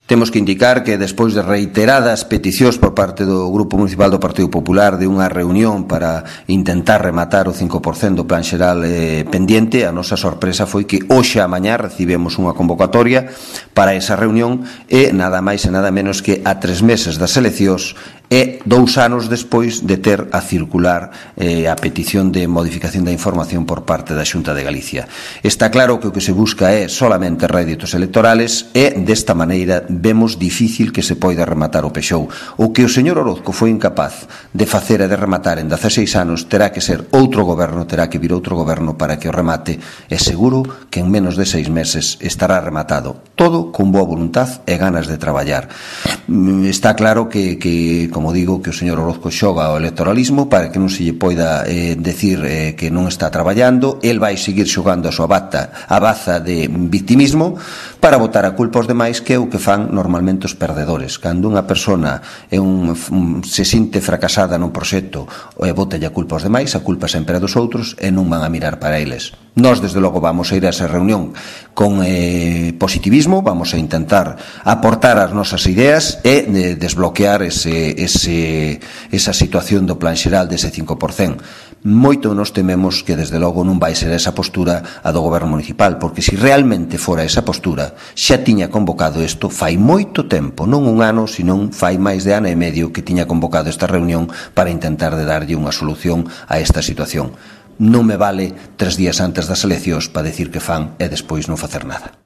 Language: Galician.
Temos que indicar que despois de reiteradas peticións por parte do Grupo Municipal do Partido Popular de unha reunión para intentar rematar o 5% do plan xeral pendiente, a nosa sorpresa foi que hoxe a mañá recibemos unha convocatoria para esa reunión e nada máis e nada menos que a 3 meses das eleccións e 2 anos despois de ter a circular a petición de modificación da información por parte da Xunta de Galicia. Está claro que o que se busca é solamente réditos electorales e desta maneira vemos difícil que se poida rematar o Pexou. O que o señor Orozco foi incapaz de facer e de rematar en 16 anos terá que ser outro goberno, terá que vir outro goberno para que o remate e seguro que en menos de 6 meses estará rematado. Todo con boa voluntad e ganas de traballar. Está claro que como digo, que o señor Orozco xoga ao electoralismo para que non se lle poida decir que non está traballando. El vai seguir xogando a súa baza de victimismo para botar a culpa aos demais, que é o que fan normalmente os perdedores. Cando unha persona se sinte fracasada nun proxecto e bota a culpa aos demais, a culpa sempre é dos outros e non van a mirar para eles. Nós, desde logo, vamos a ir a esa reunión con positivismo, vamos a intentar aportar as nosas ideas e desbloquear esa situación do plan xeral dese 5%. Moito nos tememos que, desde logo, non vai ser esa postura a do goberno municipal, porque se realmente fora esa postura, xa tiña convocado isto fai moito tempo, non un ano, senón fai máis de ano e medio que tiña convocado esta reunión para intentar de darlle unha solución a esta situación. Non me vale 3 días antes das eleccións para decir que fan e despois non facer nada.